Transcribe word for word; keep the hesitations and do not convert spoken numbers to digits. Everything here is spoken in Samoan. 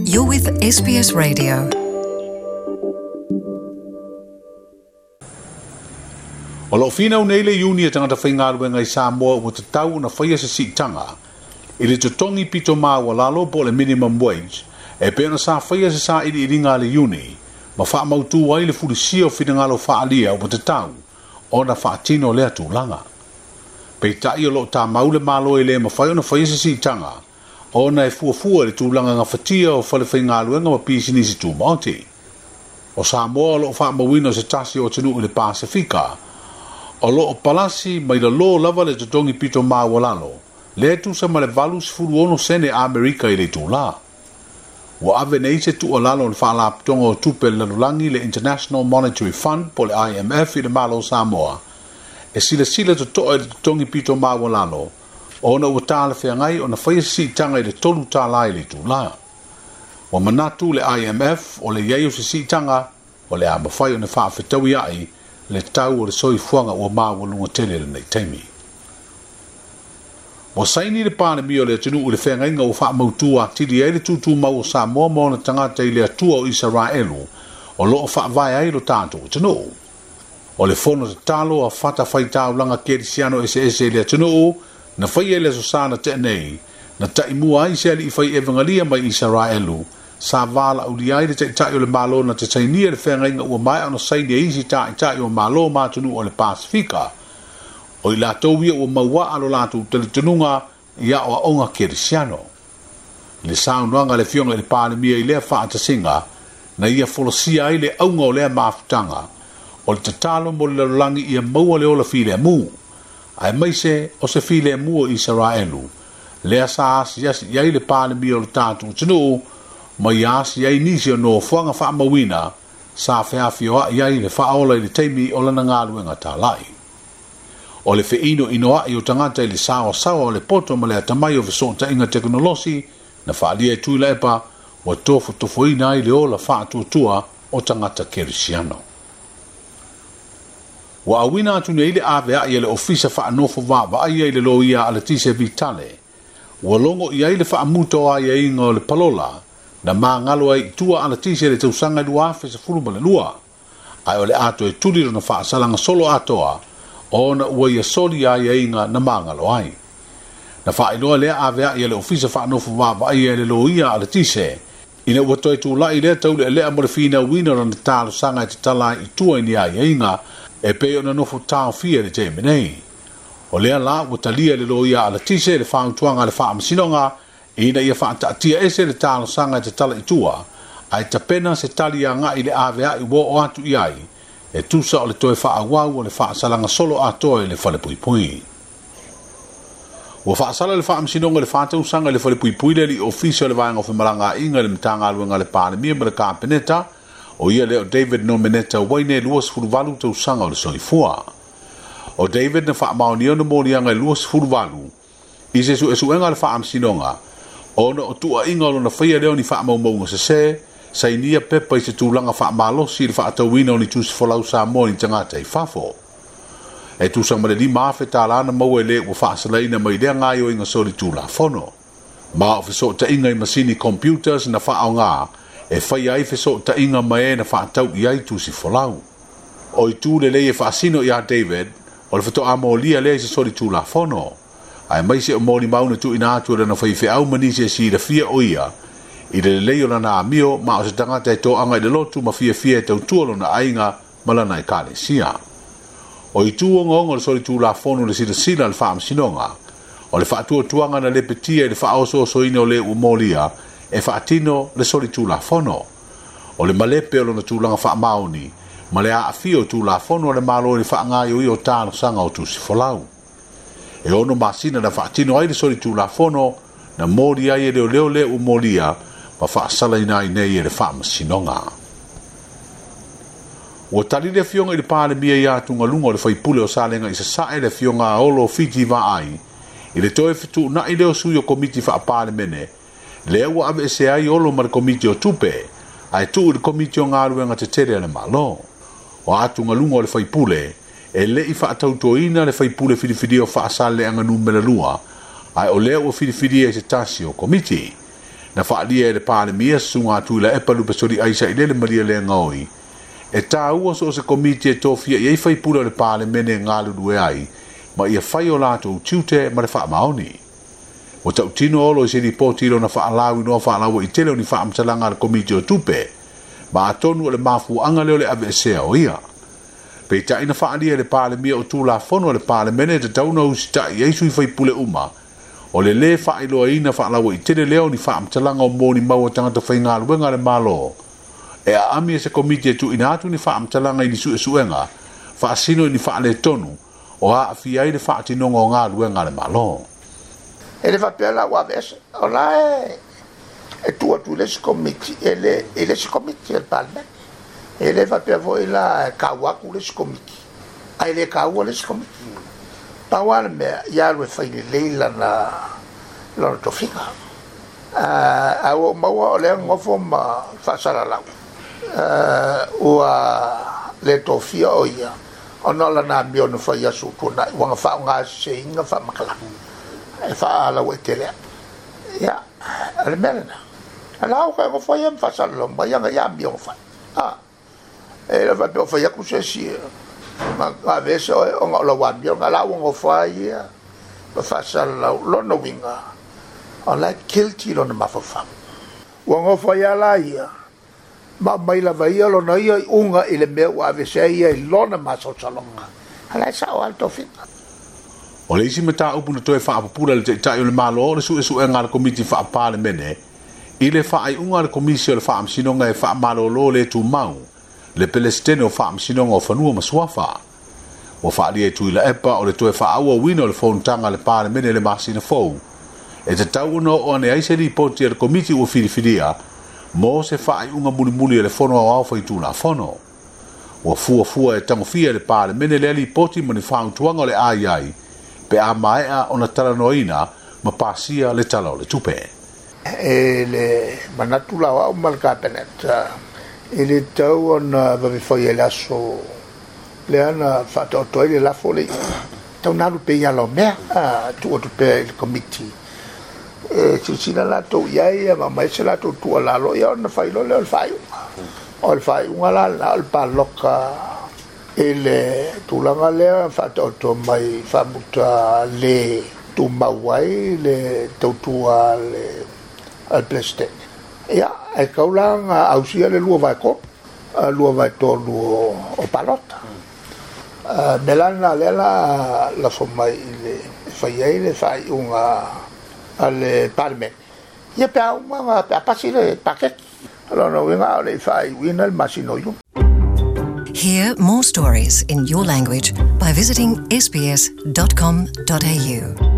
You're with S B S Radio. O lo whina unei le iuni e tangata whaingaluenga i Samoa ua te tau na whaia se siitanga. I le totongi pito maua lalo po le minimum wage, e pena sa whaia se sa ili iringa le iuni, ma wha mautu ai le fulisia o whinangalo whaalia ua te tau, ona whaatino lea tūlanga. Peitai o lo tā maule malo e le mawhai ona whaia se siitanga, ona e fuafua le tūlanga ngā whatia o whale whaingaluenga ma pisinisi tūmaoti. O Samoa o lo whaamawina o se tasi o tenu i le Pasifika, o lo o palasi mai la lo lava le totongi pito maualalo, le tusa ma le valu sefulu ono sene Amerika i le tūlā. Ua ave nei se tuualalo o le Faalapotopotoga o Tupe le Lalolagi le International Monetary Fund po le I M F i le Malo Samoa. E silasila totoa i le totongi pito maualalo, ona ua talafeagai ona faia se siitaga i le tolu tālā i le itulā. Ua manatu le I M F o le iai o se siitaga o le a mafai ona faafetaui ai le tau o le soifuaga ua maualuga tele lenei taimi. Ua saini le Palemia o le atunuu i le feagaiga ua faamautu atili ai le tutumau o Samoa ma ona tagata i le Atua o Isaraelu o loo faavae ai lo tatou atunuu. O le fono tatalo a fatafaitaulaga kerisiano eseese i le atunuu na faia i le aso sa na tea nei, na taimua ai se alii fai evangalia mai Isaraelu, sa valaaulia ai le taitai o le Malo na te sainia le feagaiga ua maea ona saini e isi taitai o Malo ma atunuu o le Pasifika. O i latou ia ua mauaa lo latou talitonuga i aoaoga kerisiano. I le saunoaga a le Afioga i le Palemia i lea faatasiga, na ia folasia ai le auga o lea mafutaga, o le tatalo mo le lalolagi ia maua le ola filemu, aemaise o se filemu o Isaraelu, lea sa asiasi i ai le Palemia o le tatou atunuu, ma ia asi ai nisi o nofoaga faamauina, sa feafioai ai le faaola i le taimi o lana galuega talai. O le feino inoai o tagata i le saoasaoa o le poto ma le atamai o fesootaiga tekonolosi na faalia e Tuilaepa ua tofotofoina ai le ola faatuatua o tagata kerisiano. Ua auina atu nei le aveai e le ofisa faanofo vaavaaia i le loia a Letise Vitale. Ua logo i ai le faamuta o aiaiga o le palola na magalo ai i tua a Letise le tausaga i lua afe sefulu ma le lua. Ae o le ato e tuli lona faasalaga solo atoa ona ua ia soli aiaiga na magalo ai. Na faailoa lea aveai e le ofisa faanofo vaavaaia e le loia a Letise, ina ua toe tulai lea taulealea mo le finauina o lona talosaga e tatala ai i tua i ni aiaiga e pei ona nofo taofia i le taimi nei. O lea la ua talia le loia a Letise le fautuaga a le faamasinoga ina ia faataatia ese le talosaga e tatala i tua, ae tapena se tali agai i le aveai ua oo atu i ai, e tusa o le toe faaauau o le faasalaga solo atoa i le falepuipui. Ua faasala le faamasinoga i le faatausaga i le falepuipui le alii ofisa o le vaega o femalagaaiga i le Matagaluega a le Palemia ma le Kapeneta, o ia lea o David Nomeneta Waine lua sefulu valu tausaga o le soifua. O David na faamaonia ona moliaga i lua sefulu valu i se suesuega a le faamasinoga, ona o tuuaiga o lona faia lea o ni faamaumauga sesē, sainia pepa i se tulaga faamalosi i le faatauina o ni tusifolau Samoa i ni tagata i fafo. E tusa ma le lima afe tālā na maua e le ua faasalaina mai lea gaoioiga solitulafono. Ma o fesootaiga i masini computers na faaogā e faia ai fesootaiga ma e na faatau i ai tusifolau. O itu lelei e faasino iā David, o le fatoamolia lea i se solitulafono. Aemaise o molimau na tuuina atu e lana faifeau ma nisi e silafia o ia, i le lelei o lana amio ma o se tagata e toaga i le lotu ma fiafia e tautua lona aiga ma lana ekalesia. O itu ogaoga o le solitulafono le silasila a le faamasinoga, o le faatuatuaga na lepetia i le faaosoosoina o le ua molia e faatino le solitulafono. O le malepe o lona tulaga faamaoni ma le aafia o tulafono a le Malo i le faagaoioia o talosaga o tusifolau. E ono masina na faatino ai le solitulafono na moli ai e leoleo le ua molia ma faasalaina ai nei e le faamasinoga. Ua tali le Afioga i le Palemia i atugaluga o le faipule o Salega i Sasae le Afioga a Olo Fiti Vaai i le toe fetuunai lea o sui o komiti faapalemene, lea ua aveese ai Olo ma le komiti o tupe, ae tuu i le komiti o galuega tetele a le Malo. O atugaluga o le faipule, e lei faatautoina le faipule filifilia o Faasalelega numera lua, ae o lea ua filifilia i se tasi o komiti. Na faalia e le Palemia susuga a Tuilaepa Lupesoli Aisa i le Malielegaoi e tāua so o se komiti e tofia i ai faipule o le Palemene e galulue ai ma ia fai o latou tiute ma le faamaoni. Ua tautino Olo i se lipoti i lona faalauinoa faalauaitele o ni faamatalaga a le Komiti o Tupe ma atonu o le mafuaaga lea o le aveesea o ia. Peitai na faalia e le Palemia o Tulafono a le Palemene e tatau ona usitai ai sui faipule uma o le lē faailoaina faalauaitele lea o ni faamatalaga o molimau a tagata faigaluega a le Malo e aami e se komiti e tuuina atu ni faamatalaga i ni suesuega faasino i ni faaletonu o aafia ai le faatinoga o galuega a le Malo. E le faapea la ua aveese o la e e tuu atu i le isi komiti e le i le isi komiti a le Palemene. E le faapea foi la e kaua atu le isi komiti ae le kaua le isi komiti. Pau lava le mea ia alu e fai lelei lana lona tofiga. Ae ua ou maua o lea nofo ma faasalalau ua le tofia o ia ona o lana amio na fai aso ua tuanai ua na faaaogaseseina faamatalaga e faalauaitele ai. Ia, o le mea lena. La ua toe nofo ia ma faasalalau mai ana ia amio na fai. E le faapea o fai atu se isi na aveese oe ona o lau amio na la ua nofo ai ia ma faasalalau lona uiga o la e guilty lona mafaufau. Ua nofo ai lava la ia ma aumai lava ia lona ia iuga i le mea ua aveese ai ia i lona masalosaloga. A la e sao lava le tofiga. O le isi mataupu na toe faapupula e le Taitai o le Malo o le suesuega a le Komiti Faa-Palemene i le faaiuga a le Komisi o le Faamasinoga e faamalolo le tumau le Pelesitene o Faamasinoga o Fanua ma Suafa. Ua faalia e Tuilaepa o le toe faaauauina o le fonotaga a le Palemene i le masina fou e tatau ona oo ane ai se lipoti a le Komiti ua filifilia mo se faaiuga mulimuli a le Fono Aoao Faitulafono. Ua fuafua e tagofia e le Palemene lea lipoti ma ni fautuaga o le a i ai pe a maea ona talanoaina ma pasia le Tala o le Tupe. E le manatu la o au ma le Kapeneta e le tatau ona vave faia i le aso lea na faataoto ai le lafo le tau na alu pea i ala o mea tuu atu pea i le komiti e silasila latou i ai ma aumai se latou tuualalo ia ona fai loa lea o le faaiuga. O le faaiuga la lena o le paloka i le tulaga lea faataoto mai faamuta le tumau ai le tautua a le Peresetene. Ia, e tatau la ona ausia le lua vae tolu, lua vae tolu o palota. Mea la lena lea la lafo mai i le fai ai le faaiuga a le Palemene. Ia pe a uma pe a pasi le paketi. O lona uiga o le i faaiuina le masina o Iuni. Hear more stories in your language by visiting s b s dot com dot a u.